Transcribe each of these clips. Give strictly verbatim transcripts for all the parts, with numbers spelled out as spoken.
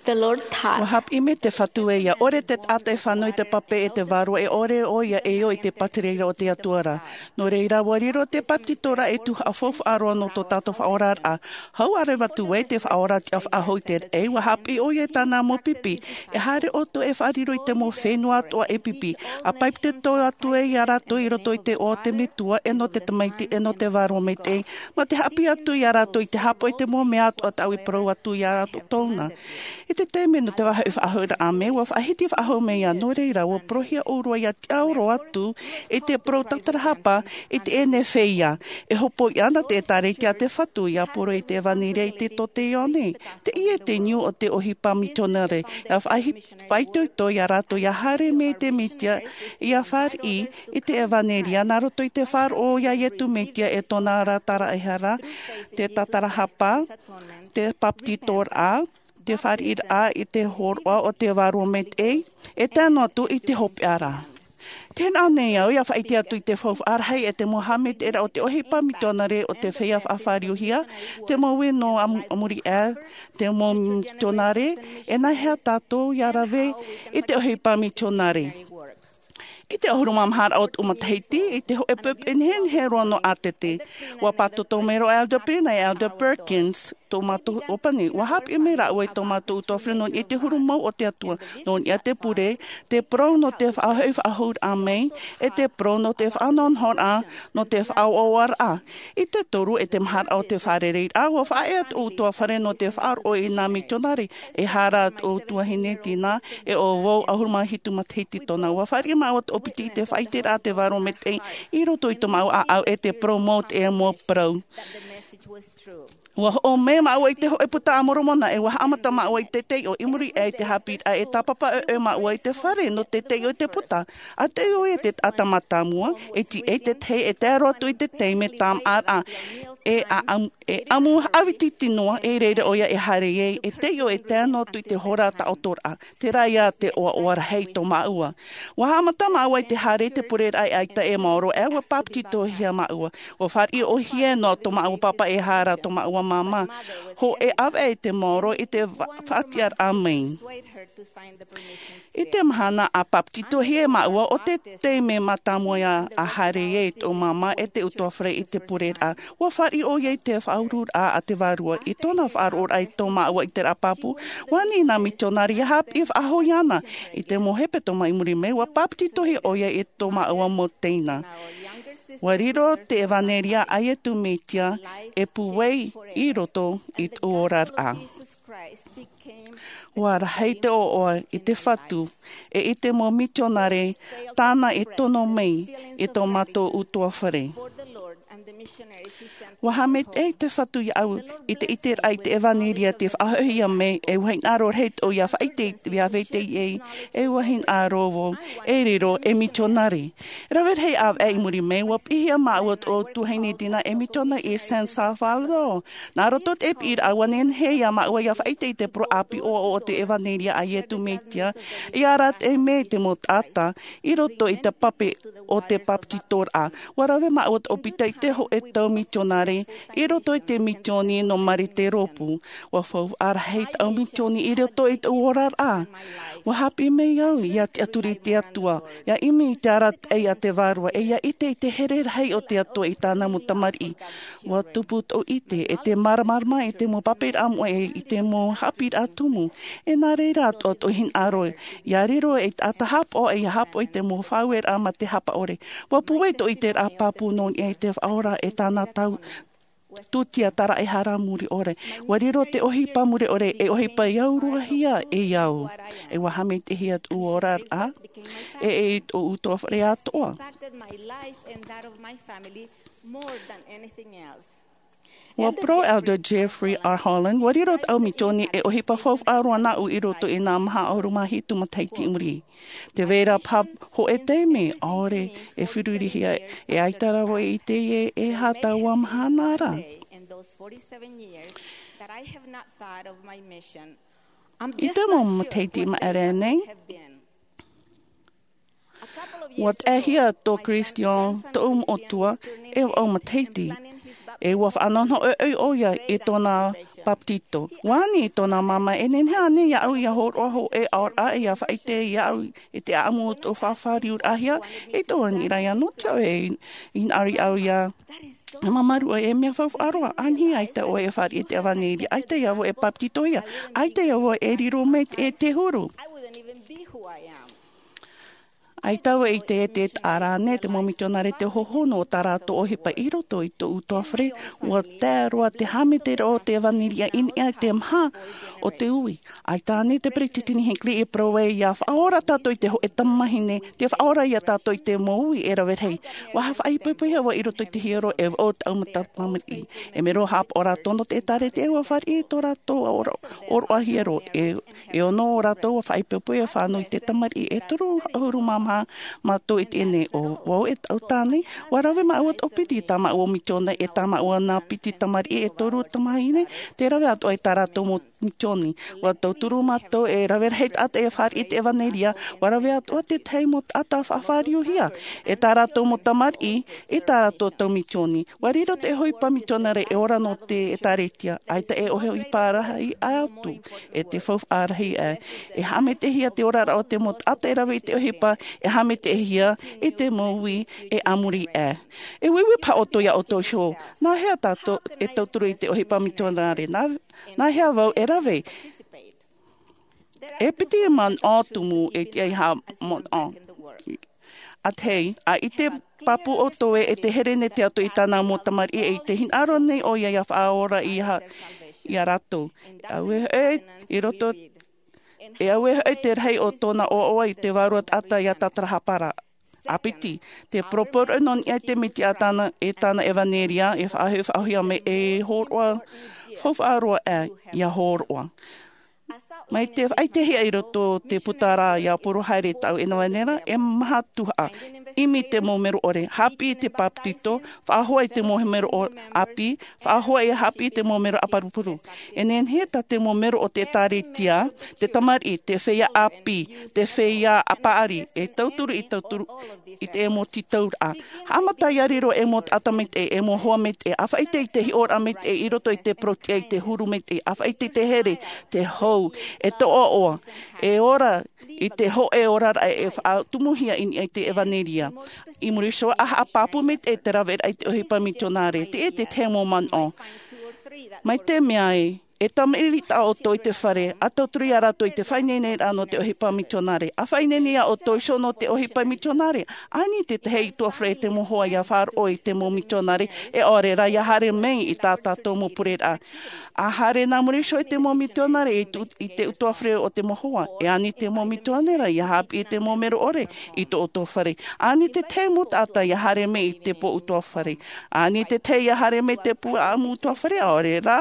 The Lord taught. Ua haʻapiʻi mai te Fatu ē, ʻia ʻore te taʻata e fānau i te pape e te vārua, e ʻore ʻoia e ō i te pātireia o te Atua ra. Nō reira, ua riro te bāpetizoraʻa e tuhaʻa faufaʻa roa nō tō tātou faʻaoraraʻa. Hau ʻārevaʻa atu ai te Faʻaora tiʻa faʻahou i te raʻi, ʻua haʻapiʻi ʻoia i tāna mau pipi. E haere ʻoutou e faʻariro i te mau fenua atoʻa e pipi. ʻA bāpetizo atu ai iā rātou i roto i te iʻoa o te Metua, e nō te Tamaiti, e nō te Vārua Maitaʻi, mā te haʻapiʻi atu iā rātou i te haʻapaʻo i te mau mea atoʻa tāʻu i parau atu iā rātou. I te taime nō te vāhi faʻahou ra, ʻāmui, ua faʻahiti faʻahou mai ā. Nō reira, ua porohia ʻōrua ʻia tiʻaoro atu i te parau tātarahapa i teie nei feiā. E hopoiʻa na te ʻĒtārētia a te Fatu ʻia poro i te ʻEvanelia i te tō Ioane. Teie te niu o te ʻohipa mitionare. ʻIa faʻahi-, faʻaitoito iā rātou ʻia haere mai te Mesia, ʻia fāriʻi i te ʻEvanelia, nā roto i te faʻaroʻo iā Iesu Mesia e tōna ra tāraʻehara, te tātarahapa, te bāpetizoraʻa, te fāriʻiraʻa i te hōroʻa o te Vārua Maitaʻi, e tae noa atu i te hopeʻa ra. Tē nā ʻō nei au, ʻia faʻaʻite atu i te faufaʻa rahi e te mau haʻamaitaʻiraʻa o te ʻohipa mitionare o te feiā faʻafāriuhia, te mau ui nō am-, a muri aʻe, te mau mitionare, e nāhea tātou ʻia rave i te ʻohipa mitionare. I te ʻahuru mā maha raʻa o tōʻu matahiti, i te hōʻē poʻipoʻi nehenehe roa nō ʻĀtete, ua pātoto mai roa Elder Pina e Elder Perkins, tō mātou ʻōpani. Ua haʻapiʻi mai rāua i tō mātou ʻutuāfare nō niʻa i te huru mau o te Atua, nō niʻa i te pure, te parau nō te faʻahoʻi faʻahou raʻa mai, e te parau nō te faʻanohonohoraʻa, nō te faʻaʻoaʻoaraʻa. I te toru e te maha raʻa o te fārereiraʻa, ua faʻaea tōʻu ʻutuāfare nō te faʻaroʻo i nā mitionare. E hara tōʻu tuahine Tina, e ʻo vau ʻahuru mā hitu matahiti tōna. Ua fāriʻi māua tōʻu piti i te faʻaʻiteraʻa a te Vārua Maitaʻi i roto i tō māua ʻāʻau, e te parau mau, te mau parau. Ua hoʻo mai māua i te hōʻē Buka a Moromona, e ua haʻamata māua i te taiʻo. I muri aʻe i te haʻapiʻiraʻa, e tāpapa ʻoʻoe māua i te fare nō te taiʻo i te buka. ʻA taiʻo ʻoia i te taʻata mātāmua, e tiʻa i te tahi e tae roa atu i te taime tāmāʻaraʻa. E ʻa-, ʻamu, e ʻamu haʻaviti tino, e i reira ʻoia e haere ai, e taiʻo e tae noa atu i te hora taʻotoraʻa. Terā ia te ʻoaʻoa rahi tō māua. Ua haʻamata māua i te haere i te pureraʻa e ʻaita e maoro, e ua bāpetizohia māua. Ua fāriʻi ʻōhie noa tō māua pāpā, e hara tō māua māmā. Hōʻē ʻāvaʻe i te maoro i te fa-, faʻatiʻaraʻa mai. I te mahana ʻa bāpetizohia māua, ʻo te taime mātāmua ia ʻa haere ai tō māmā e te ʻutuāfare i te pureraʻa. Ua fāriʻi ʻoia i te faʻauruaraʻa a te Vārua. I tōna faʻaroʻoraʻa i tō māua ʻiteraʻa pāpū, ua ani nā mitionare ʻia haʻapiʻi faʻahou iāna. I te mau hepetoma i muri mai, ua bāpetizohia ʻoia i tō māua mau teina. Ua riro te ʻEvanelia a Iesu Mesia e pūai i roto i tōʻu oraraʻa. Ua rahi te ʻoaʻoa i te Fatu, e i te mau mitionare tāna i tono mai i tō mātou ʻutuāfare. Ua haʻamaitaʻi te Fatu iāʻu i te ʻiteraʻa i te ʻEvanelia tei faʻahoʻihia mai, e ua hinaʻaro rahi tōʻu ʻia faʻaʻite i te, ʻia faʻaʻite i, e ua hinaʻaro vau e riro ei mitionare. Rave rahi ʻāvaʻe i muri mai, ua piʻihia māua tōʻu tuahine Tina ei mitionare i San Salvador. Nā roto i te piʻiraʻa, ua nehenehe ia māua ʻia faʻaʻite i te parau ʻāpī ʻoaʻoa o te ʻEvanelia a Iesu Mesia, ʻia arataʻi mai te mau taʻata i roto i te pape o te bāpetizoraʻa. Ua rave māua tōʻu piti i te hōʻē tau mitionare i roto i te misioni nō Marie Théroux. Ua faufaʻa rahi tāʻu misioni i roto i tōʻu oraraʻa. Ua haʻapiʻi mai au ʻia tiʻaturi i te Atua, ʻia ʻimi i te arataʻi a te Vārua, e ʻia ʻite i te here rahi o te Atua i tāna mau tamariʻi. Ua tupu tōʻu ʻite e te māramarama i te mau paperaʻa moʻe, i te mau haʻapiʻiraʻa tumu. E nā reira atoʻa tōʻu hinaʻaro, ʻia riro ei taʻata haʻapaʻo, e ʻia haʻapaʻo i te mau faʻaueraʻa mā te haʻapaʻo ʻore. Ua pūai tōʻu ʻiteraʻa pāpū nō niʻa i te Faʻaora e tāna tau tūtia tāraʻehara muri ʻore. Ua riro te ʻohipa muri ʻore, e ʻohipa i auruahia e au. E ua haʻamaitaʻihia tōʻu oraraʻa, e, e tōʻu ʻutuāfare atoʻa. Ua parau Elder Jeffrey R. Holland, ua riro tāʻu misioni e ʻohipa faufaʻa roa nāʻu i roto i nā maha ʻahuru mā hitu matahiti i muri. Tē vai ra paha hōʻē taime, ʻaore e ferurihia, e ʻaita rā vau e ʻite e, e aha taua mahana ra. I te mau matahiti i maʻiri aʻe nei, ua taehia tō Christian, tōʻu moʻotua, e vaʻu matahiti. E ua faʻanonoʻo ʻoia i tōna papetito. Ua ani i tōna māmā, e nehenehe ānei iāʻu ia hōroʻa hōʻē aʻoraʻa, ia faʻaʻite iāʻu i te ʻaʻamu o tō fāriuraʻahia? E tō ani rā ia nō te ʻoe i nā ʻari au ia. E mamaru ʻoe, e mea faufaʻa roa. Ānei ʻaita ʻoe e fāriʻi i te ʻevanelia, ʻaita ia vau e papetitohia, ʻaita ia vau e riro mai te huru. ʻAita vau i te ʻite e te ʻite rānei te mau mitionare te hohonu o tā rātou ʻohipa i roto i tō ʻutuāfare. Ua tae roa te hāmete roa o te ʻevanelia i niʻa i te maha o te ui. ʻAita ānei te peresideni Hinckley i parau ai ia faʻaora tātou i te hōʻē tamahine, te faʻaora ia tātou i te mau ui e rave rahi. Ua faʻaipoipohia vau i roto i te hiero e vau taʻu mata tamariʻi. E mero haʻapaʻo rātou nō te ʻēkālesia, ua fāriʻi tō rātou ʻōroʻa, ʻōroʻahia roa. E e ono o rātou ua faʻaipoipo e fānau i te tamariʻi. E toru ʻahuru mā maha mātou i teie nei. ʻO vau e taʻu tāne, ua rave māua tō piti i tā māua mitionare, e tā māua nā piti tamariʻi, e toru tamahine, te rave atoʻa i tā rātou mau mitioni. Ua tauturu mātou e rave rahi taʻata e fāriʻi i te ʻevanelia, ua rave atoʻa te tahi mau taʻata faʻafāriuhia e tā rātou mau tamariʻi, e tā rātou tau mitioni. Ua riro te ʻohipa mitionare e ora nō te ʻēkālesia, ʻaita e ʻohipa rahi atu, e te faufaʻa rahi aʻe. E haʻametehia te oraraʻa o te mau taʻata e rave i te ʻohipa, e haʻametehia i te mau ui e a muri aʻe. E uiui paha ʻoutou ia ʻoutou iho, nā hea tātou e tauturu i te ʻohipa mitionare? Nā, nā hea vau e rave? E piti manaʻo tumu e tiʻa i haʻamanaʻo. ʻA tahi, ʻa ʻite pāpū ʻoutou ē, e te here nei te Atua i tāna mau tamariʻi, e i te hinaʻaro nei ʻoia ia faʻaora ia, ia rātou. ʻAuē hoʻi, i roto, e ʻauē hoʻi te rahi o tōna ʻoaʻoa i te vārua taʻata ia tātarahapa ra. ʻA piti, te poroporoʻi nō niʻa i te Mesia e tāna, e tāna ʻevanelia, e faʻahoʻi, faʻahoʻihia mai, e hōroʻa, faufaʻa roa aʻe ia hōroʻa. Mai te faʻaʻitehia i roto te puta ra ia poro haere tāʻu e nā vau nei rā, e maha tuhaʻa, ʻimi te mau mero ʻore, haʻapiʻi te papetito, faʻahoʻi te mau mero ʻo-, ʻāpī, faʻahoʻi e haʻapiʻi te mau mero ʻāparupuru. E nehenehe tā te mau mero o te ʻēkālesia, te tamariʻi, te feiā ʻāpī, te feiā paʻari, e tauturu i tauturu i te mau tītauraʻa. Haʻamata ia riro e mau taʻata maitaʻi, e mau hoa maitaʻi, ʻa faʻaʻite i te hiʻoraʻa maitaʻi i roto i te parau-tiʻa, i te huru maitaʻi, ʻa faʻaʻite i te here, te hou, e tō ʻoaʻoa, e ora i te hōʻē oraraʻa e faʻatumuhia i niʻa i te ʻevanelia. I muri iho, ʻa haʻapāpū maitaʻi te raveraʻa i te ʻohipa mitionare, teie te tahi mau manaʻo. Mai te mea ē, e tamariʻi taʻa ʻoutou i te fare, ʻa tauturu ia rātou i te faʻaineineraʻa nō te ʻohipa mitionare. ʻA faʻaineine ia ʻoutou iho nō te ʻohipa mitionare. Ani te tahi ʻutuāfare e te mau hoa ia faʻaroʻo i te mau mitionare, e ʻaore rā ia haere mai i tā tātou mau pureraʻa. ʻA haere nā muri iho i te mau mitionare i tu-, i te ʻutuāfare o te mau hoa. E ani te mau mitionare ia haʻapiʻi i te mau mero ʻore i tō ʻoutou fare. Ani te tahi mau taʻata ia haere mai i te pō ʻutuāfare. Ani te tahi ia haere mai te pū ʻaʻamu ʻutuāfare, ʻaore rā,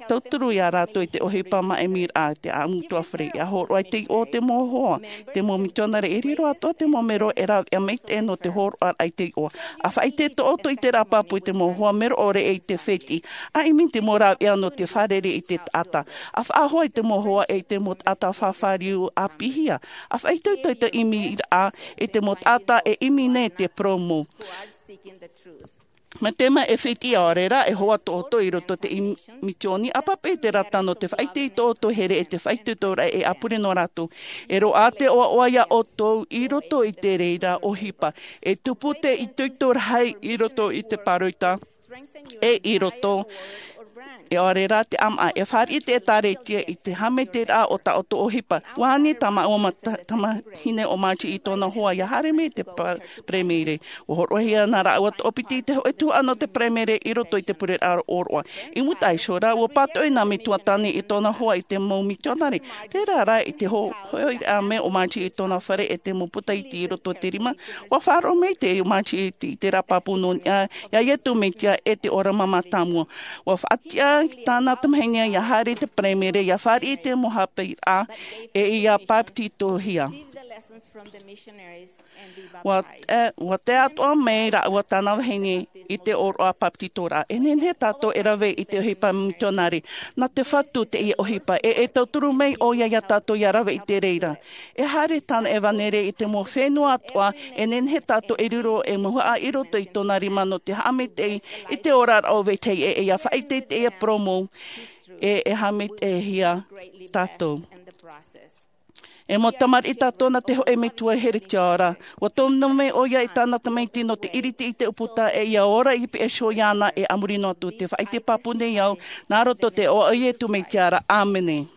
tauturu ia rātou i te ʻohipa maʻimiraʻa i te ʻaʻamu ʻutuāfare, ia hōroʻa i te iʻoa o te mau hoa, te mau mitionare e riro atoʻa te mau mero e rāveʻa maitaʻi nō te hōroʻaraʻa i te iʻoa. ʻA faʻaʻite tō ʻoutou ʻiteraʻa pāpū i te mau hoa mero ʻore e i te fētiʻi, ʻa ʻimi te mau rāveʻa nō te fārerei i te taʻata. ʻA faʻahoʻi te mau hoa e i te mau taʻata faʻafāriu ʻāpīhia. ʻA faʻaitoito i te ʻimiraʻa i te mau taʻata e ʻimi nei te parau mau. Mai te mea e fētiʻi, ʻaore rā, e hoa tō ʻoutou i roto i te im-, mitioni, ʻa pape i te rata nō te faʻaʻite i tō ʻoutou here e te faʻaitoitoraʻa e ʻāpure nō rātou. E roaʻa te ʻoaʻoa ia ʻoutou i roto i te reira ʻohipa. E tupu te itoito rahi i roto i te pāroita. E i roto, e ʻaore rā te ʻāmaʻa, e fāriʻi te ʻēkālesia i te haʻameteraʻa o tā ʻoutou ʻohipa. Ua ani tā māua ma-, ta-, tamahine ʻo Margie i tōna hoa ia haere mai i te pa-, paraimere. Ua hōroʻahia nā rāua toʻopiti i te hōʻē tuhaʻa nō te paraimere i roto i te pureraʻa ʻōroʻa. I mua iho ra, ua pātoʻi nā metua tāne i tōna hoa i te mau mitionare. Terā rā, i te ho-, hoʻiraʻa mai o Margie i tōna fare e te mau puta iti i roto i te rima, ua faʻaroʻo mai te Margie i te, i te rā pāpū nō niʻa iā Iesu Mesia e te ora mātāmua. Ua faʻatiʻa tāna tamahine ia haere i te paraimere, ia fāriʻi i te mau haʻapiʻiraʻa, e ia papetitohia. Ua tae atoʻa mai rāua tāna vahine i te ʻōroʻa papetitoraʻa. E nehenehe tātou e rave i te ʻohipa mitionare nā te fatu teie ʻohipa e e tauturu mai ʻo ia iā tātou ia rave i te reira. E haere tāna evanelia i te mau fenua atoʻa. E nehenehe tātou e riro e mau haʻa i roto i tōna rima nō te haʻamaitaʻi i te oraraʻa o vetahi e ia faʻaʻite i teie poromu e e haʻamaitaʻihia tātou. E mau tamariʻi tātou nā te hoʻe metua heretiora. Ua tōmino mai ʻo ia i tāna tamaiti nō te ʻiriti i te ʻūputa e ia ora i piʻa iho iāna e a muri noa atu te faʻaʻite pāpū nei au nā roto te ʻoaʻoa o iesu mesia. ʻĀmene.